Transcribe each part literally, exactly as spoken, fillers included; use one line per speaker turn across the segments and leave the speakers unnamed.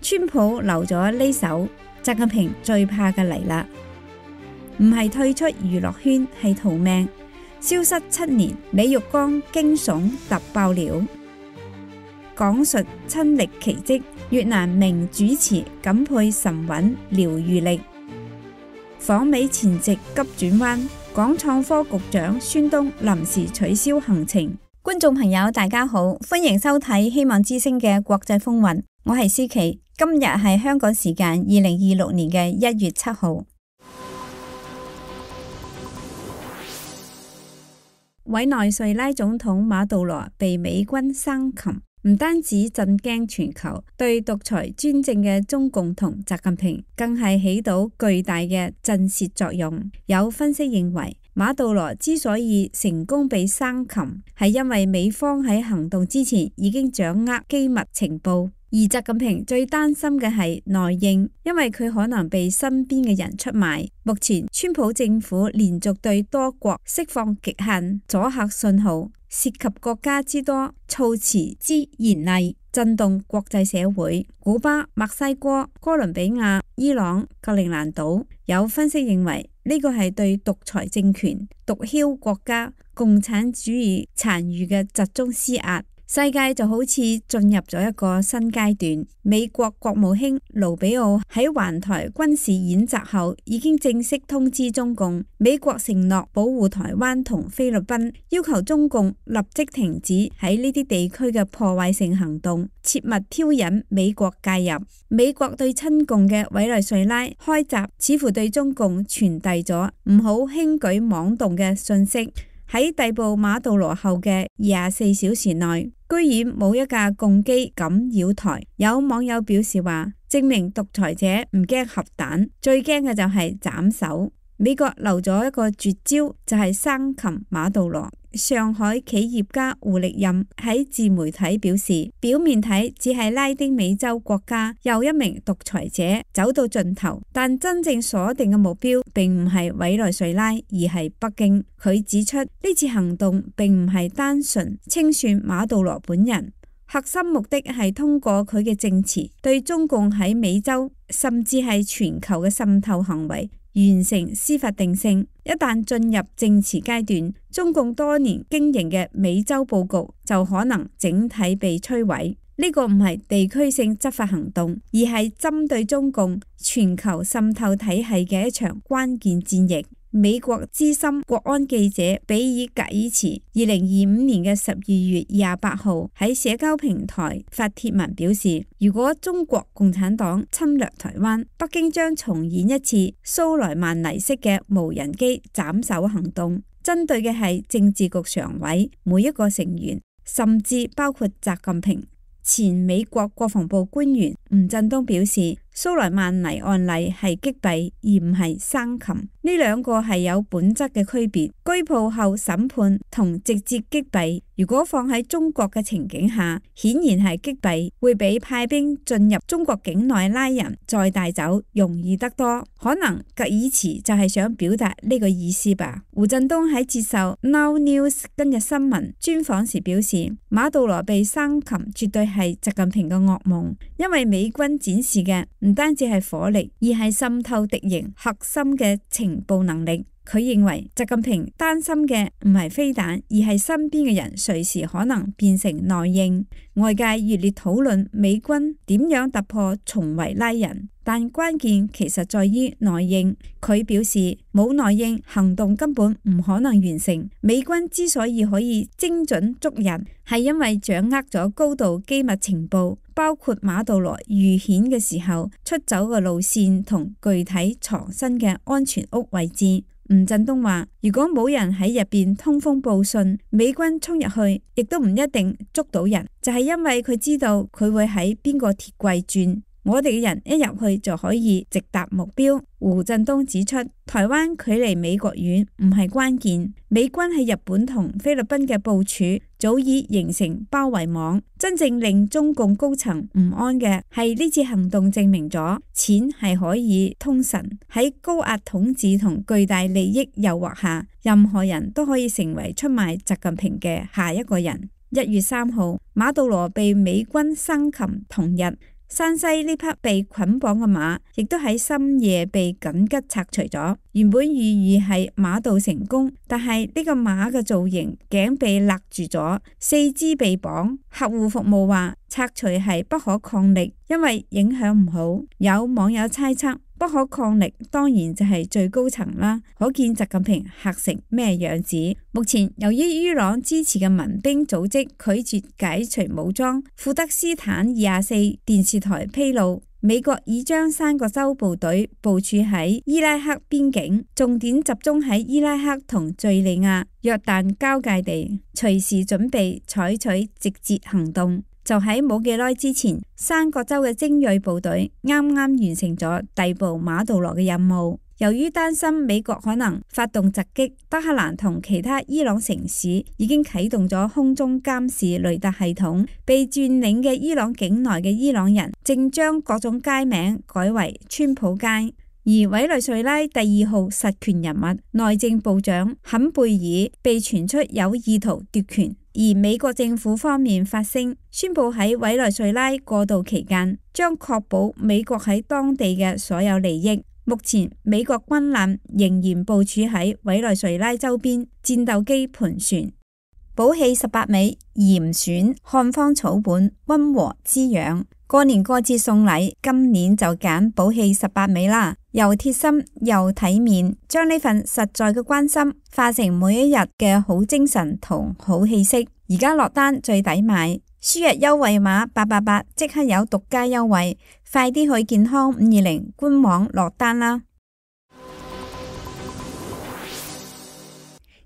川普留咗呢手，習近平最怕嘅嚟啦，唔係退出娛樂圈，係逃命。消失七年，李玉剛驚悚突爆料，講述親歷奇蹟，越南名主持感佩神韻療愈力，訪美前夕急轉彎，港創科局長孫東臨時取消行程。觀眾朋友大家好，歡迎收睇希望之聲嘅國際風雲，我係思琪，今日係香港時間二零二六年嘅一月七號。委內瑞拉總統馬杜羅被美軍生擒，唔單止震驚全球，對獨裁專政嘅中共同習近平更係起到巨大嘅震懾作用。有分析認為，馬杜羅之所以成功被生擒，係因為美方喺行動之前已經掌握機密情報。而習近平最擔心嘅係內應，因為佢可能被身邊嘅人出賣。目前川普政府連續對多國釋放極限阻嚇信號，涉及國家之多，措辭之嚴厲，震動國際社會。古巴、墨西哥、哥倫比亞、伊朗、格陵蘭島，有分析認為呢個係對獨裁政權、毒梟國家、共產主義殘餘嘅集中施壓。世界就好似進入咗一個新階段。美國國務卿盧比奧喺環台軍事演習後，已經正式通知中共，美國承諾保護台灣同菲律賓，要求中共立即停止喺呢啲地區嘅破壞性行動，切勿挑引美國介入。美國對親共嘅委內瑞拉開閘，似乎對中共傳遞咗唔好輕舉妄動嘅訊息。喺逮捕馬杜羅後嘅廿四小時內，居然冇一架共機敢擾台。有網友表示話，證明獨裁者唔驚核彈，最驚嘅就係斬首。美國留咗一個絕招，就係生擒馬杜羅。上海企業家胡力任喺自媒體表示，表面睇只係拉丁美洲國家又一名獨裁者走到盡頭，但真正鎖定嘅目標並唔係委內瑞拉，而係北京。佢指出，呢次行動並唔係單純清算馬杜羅本人，核心目的係通過佢嘅證詞對中共喺美洲甚至係全球嘅滲透行為完成司法定性。一旦進入證詞階段，中共多年經營嘅美洲佈局就可能整體被摧毀。呢個唔係地區性執法行動，而係針對中共全球滲透體系嘅一場關鍵戰役。美國資深國安記者比爾格爾茨二零二五年嘅十二月廿八號喺社交平台發帖文表示，如果中國共產黨侵略台灣，北京將重演一次蘇萊曼尼式嘅無人機斬首行動，針對嘅係政治局常委每一個成員，甚至包括習近平。前美國國防部官員吳振東表示，蘇萊曼尼案例係擊斃而唔係生擒，呢兩個係有本質嘅區別。拘捕後審判同直接擊斃，如果放喺中國嘅情景下，顯然係擊斃會比派兵進入中國境內拉人再帶走容易得多。可能格爾茨就係想表達呢個意思吧。胡振東喺接受 Now News 今日新聞專訪時表示，馬杜羅被生擒絕對係習近平嘅噩夢，因為美軍展示嘅唔單止係火力，而係滲透敵營核心嘅情報能力。佢認為習近平擔心嘅唔係飛彈，而係身邊嘅人隨時可能變成內應。外界熱烈討論美軍點樣突破重圍拉人，但關鍵其實在於內應。佢表示，冇內應，行動根本唔可能完成。美軍之所以可以精準捉人，係因為掌握咗高度機密情報，包括馬杜羅遇險嘅時候出走嘅路線同具體藏身嘅安全屋位置。吳振東話，如果冇人喺入邊通風報信，美軍衝入去亦都唔一定捉到人，就係因為佢知道佢會喺邊個鐵櫃轉。我哋嘅人一入去就可以直達目標。胡振東指出，台灣距離美國遠唔係關鍵，美軍喺日本同菲律賓嘅部署早已形成包圍網。真正令中共高層唔安嘅係呢次行動證明咗錢係可以通神。喺高壓統治同巨大利益誘惑下，任何人都可以成為出賣習近平嘅下一個人。一月三號，馬杜羅被美軍生擒同日，山西呢匹被捆綁嘅馬，亦都喺深夜被緊急拆除咗。原本寓意係馬到成功，但係呢個馬嘅造型頸被勒住咗，四肢被綁。客戶服務話拆除係不可抗力，因為影響唔好。有網友猜測，不可抗力當然就係最高層啦，可見習近平嚇成咩樣子。目前由於伊朗支持嘅民兵組織拒絕解除武裝，庫德斯坦二十四電視台披露，美國已將三個州部隊部署喺伊拉克邊境，重點集中喺伊拉克同敘利亞、約旦交界地，隨時準備採取直接行動。就喺冇幾耐之前，三個州嘅精銳部隊啱啱完成咗逮捕馬杜羅嘅任務。由於擔心美國可能發動襲擊，德黑蘭同其他伊朗城市已經啟動咗空中監視雷達系統。被佔領嘅伊朗境內嘅伊朗人正將各種街名改為川普街。而委內瑞拉第二號實權人物內政部長坎貝爾被傳出有意圖奪權。而美國政府方面發聲，宣布喺委內瑞拉過渡期間，將確保美國喺當地嘅所有利益。目前美國軍艦仍然部署喺委內瑞拉周邊，戰鬥機盤旋。寶氣十八味嚴選漢方草本，溫和滋養。過年過節送禮，今年就揀寶氣十八味啦，又貼心又體面，將呢份實在嘅關心化成每一日嘅好精神同好氣息。而家落單最抵買，輸入優惠碼八八八即刻有獨家優惠，快啲去健康五二零官網落單啦！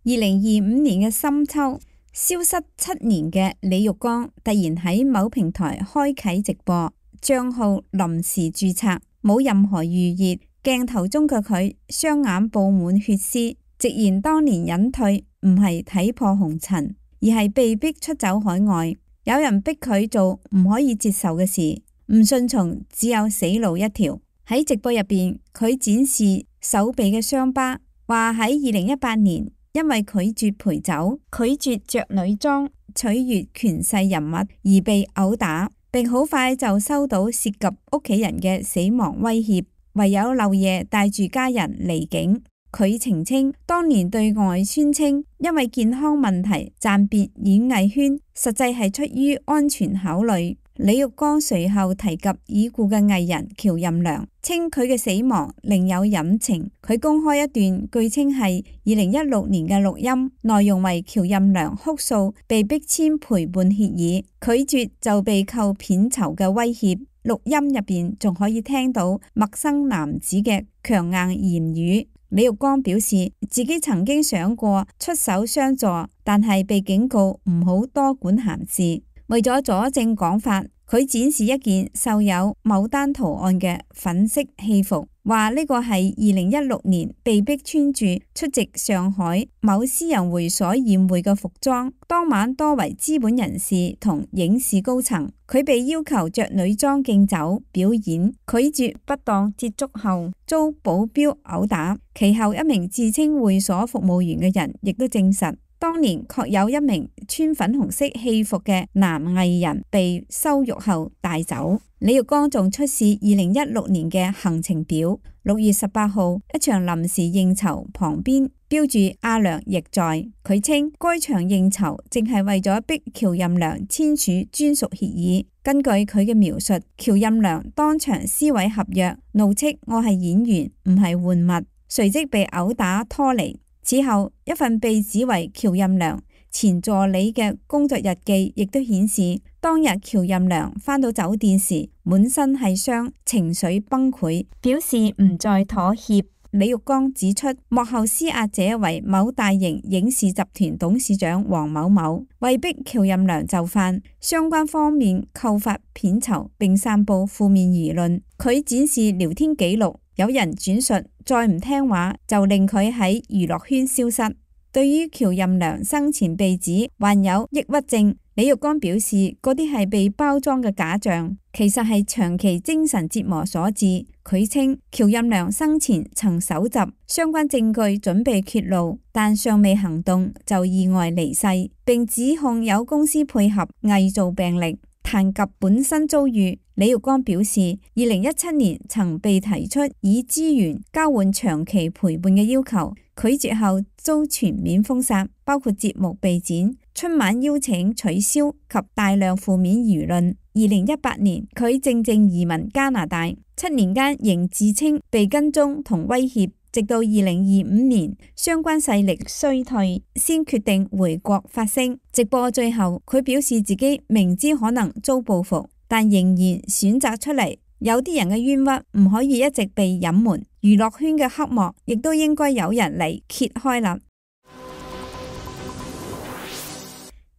二零二五年嘅深秋，消失七年嘅李玉剛突然喺某平台開啟直播，賬號臨時註冊，冇任何預熱。鏡頭中嘅佢雙眼布滿血絲，直言當年隱退唔係睇破紅塵，而係被逼出走海外。有人逼佢做唔可以接受嘅事，唔順從只有死路一條。喺直播入邊，佢展示手臂嘅傷疤，話喺二零一八年因為拒絕陪酒、拒絕着女裝、取悅權勢人物而被毆打，並好快就收到涉及屋企人嘅死亡威脅，唯有漏夜帶住家人離境。佢澄清，當年對外宣稱因為健康問題暫別演藝圈，實際係出於安全考慮。李玉剛隨後提及已故嘅藝人喬任梁，稱佢嘅死亡另有隱情。佢公開一段據稱係二零一六年嘅錄音，內容為喬任梁哭訴被逼簽陪伴協議，拒絕就被扣片酬嘅威脅。錄音入邊仲可以聽到陌生男子嘅強硬言語。李玉剛表示自己曾經想過出手相助，但係被警告唔好多管閒事。為咗佐證講法，佢展示一件繡有牡丹圖案嘅粉色戲服，話呢個係二零一六年被逼穿住出席上海某私人會所宴會嘅服裝。當晚多為資本人士同影視高層，佢被要求着女裝敬酒表演，拒絕不當接觸後遭保鏢毆打。其後一名自稱會所服務員嘅人亦都證實，當年確有一名穿粉紅色戲服嘅男藝人被羞辱後帶走。李玉剛仲出示二零一六年嘅行程表，六月十八號一場臨時應酬旁邊標注阿良亦在。佢稱該場應酬正係為咗逼喬任梁簽署專屬協議。根據佢嘅描述，喬任梁當場撕毀合約，怒斥我係演員唔係玩物，隨即被毆打拖離。此後，一份被指為喬任梁前助理嘅工作日記亦都顯示，當日喬任梁返到酒店時滿身係傷，情緒崩潰，表示唔再妥協。李玉剛指出，幕後施壓者為某大型影視集團董事長黃某某，為逼喬任梁就範，相關方面扣發片酬並散布負面輿論。佢展示聊天記錄，有人轉述再唔聽話就令佢喺娛樂圈消失。對於喬任梁生前被指患有抑鬱症，李玉剛表示嗰啲係被包裝嘅假象，其實係長期精神折磨所致。佢稱喬任梁生前曾搜集相關證據準備揭露，但尚未行動就意外離世，並指控有公司配合偽造病歷。談及本身遭遇，李玉剛表示，二零一七年曾被提出以資源交換長期陪伴嘅要求，拒絕後遭全面封殺，包括節目被剪、春晚邀請取消及大量負面輿論。二零一八年，佢靜靜移民加拿大，七年間仍自稱被跟蹤同威脅，直到二零二五年相關勢力衰退，先決定回國發聲。直播最後，佢表示自己明知可能遭報復，但仍然選擇出嚟。有啲人嘅冤屈唔可以一直被隱瞞，娛樂圈嘅黑幕亦都應該有人嚟揭開啦。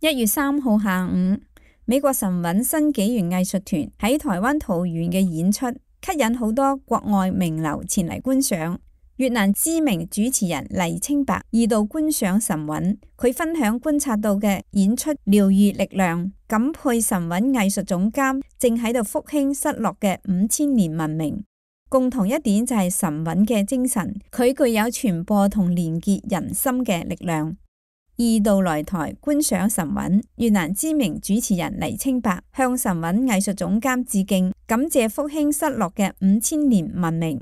一月三號下午，美國神韻新紀元藝術團喺台灣桃園嘅演出，吸引好多國外名流前嚟觀賞。越南知名主持人黎清白二度觀賞神韻，佢分享觀察到嘅演出療癒力量，感佩神韻藝術總監正喺度復興失落嘅五千年文明。共同一點就係神韻嘅精神，佢具有傳播同連結人心嘅力量。二度來台觀賞神韻，越南知名主持人黎清白向神韻藝術總監致敬，感謝復興失落嘅五千年文明。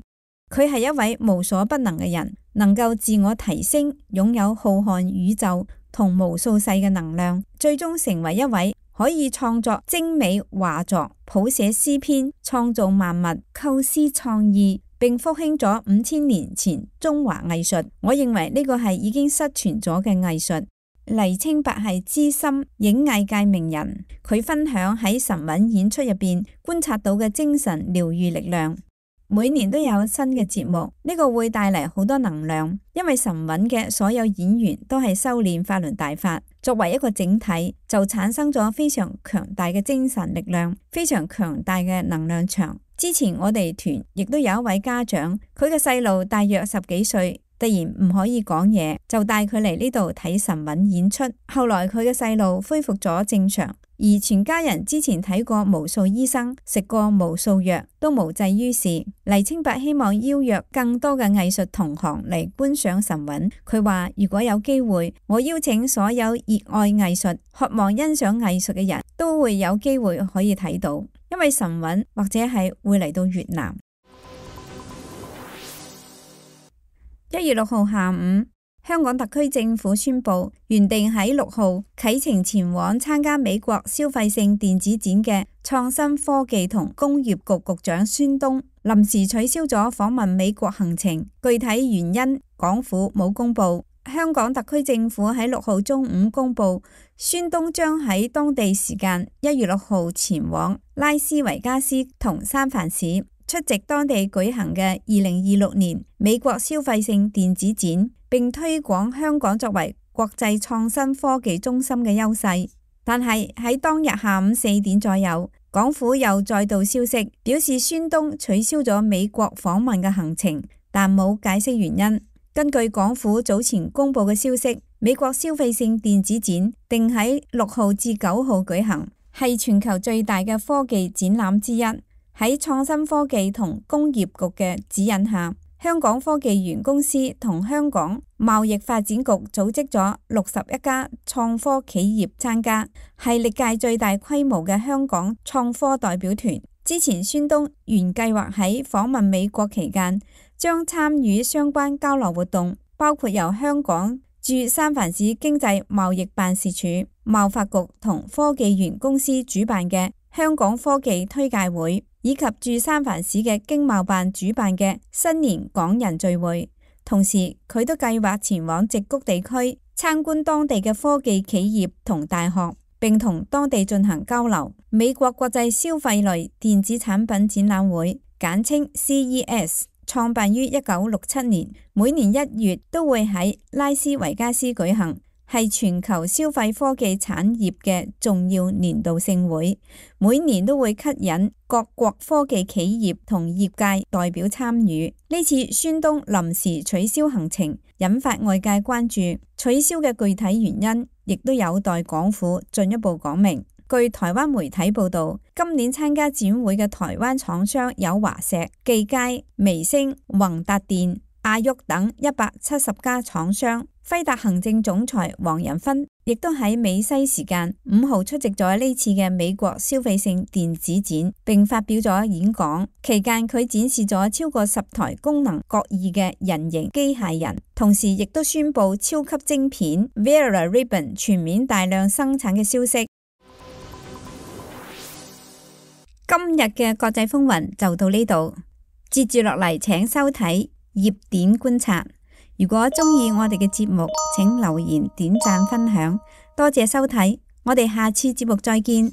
佢係一位無所不能嘅人，能夠自我提升，擁有浩瀚宇宙同無數世嘅能量，最終成為一位可以創作精美畫作、譜寫詩篇、創造萬物、構思創意，並復興咗五千年前中華藝術。我認為呢個係已經失傳咗嘅藝術。黎清白係資深影藝界名人，佢分享喺神韻演出入邊觀察到嘅精神療癒力量。每年都有新嘅節目，呢個會帶嚟好多能量，因為神韻嘅所有演員都係修煉法輪大法，作為一個整體，就產生咗非常強大嘅精神力量，非常強大嘅能量場。之前我哋團亦都有一位家長，佢嘅細路大約十幾歲，突然唔可以講嘢，就帶佢嚟呢度睇神韻演出。後來佢嘅細路恢復咗正常，而全家人之前睇過無數醫生，食過無數藥，都無濟於事。黎清白希望邀約更多嘅藝術同行嚟觀賞神韻。佢話如果有機會，我邀請所有熱愛藝術、渴望欣賞藝術嘅人都會有機會可以睇到，因為神韻或者係會嚟到越南。一月六號下午，香港特區政府宣布，原定喺六號啟程前往參加美國消費性電子展嘅創新科技同工業局局長孫東，臨時取消咗訪問美國行程，具體原因港府冇公布。香港特區政府喺六號中午公布，孫東將喺當地時間一月六號前往拉斯維加斯同三藩市，出席當地舉行嘅二零二六年美國消費性電子展，並推廣香港作為國際創新科技中心嘅優勢。但係喺當日下午四點左右，港府又再度消息，表示孫東取消咗美國訪問嘅行程，但冇解釋原因。根據港府早前公布嘅消息，美國消費性電子展定喺六號至九號舉行，係全球最大嘅科技展覽之一。喺創新科技同工業局嘅指引下，香港科技園公司同香港貿易發展局組織咗六十一家創科企業參加，係歷屆最大規模嘅香港創科代表團。之前孫東原計劃喺訪問美國期間，將參與相關交流活動，包括由香港駐三藩市經濟貿易辦事處、貿發局同科技園公司主辦嘅香港科技推介會，以及駐三藩市嘅經貿辦主辦嘅新年港人聚會。同時，佢都計劃前往矽谷地區參觀當地嘅科技企業同大學，並同當地進行交流。美國國際消費類電子產品展覽會，簡稱 C E S， 創辦於一九六七年，每年一月都會喺拉斯維加斯舉行，係全球消費科技產業嘅重要年度盛會，每年都會吸引各國科技企業同業界代表參與。呢次孫東臨時取消行程，引發外界關注，取消嘅具體原因亦都有待港府進一步講明。據台灣媒體報道，今年參加展會嘅台灣廠商有華碩、技嘉、微星、宏達電、亞旭等一百七十家廠商。輝達行政總裁黃仁勳亦都喺美西時間五號出席咗呢次嘅美國消費性電子展，並發表咗演講。期間佢展示咗超過十台功能各異嘅人形機械人，同時亦都宣布超級晶片 Vera Rubin 全面大量生產嘅消息。今日嘅國際風雲就到呢度，接住落嚟請收睇熱點觀察。如果鍾意我哋嘅節目，請留言、點讚、分享，多謝收睇，我哋下次節目再見。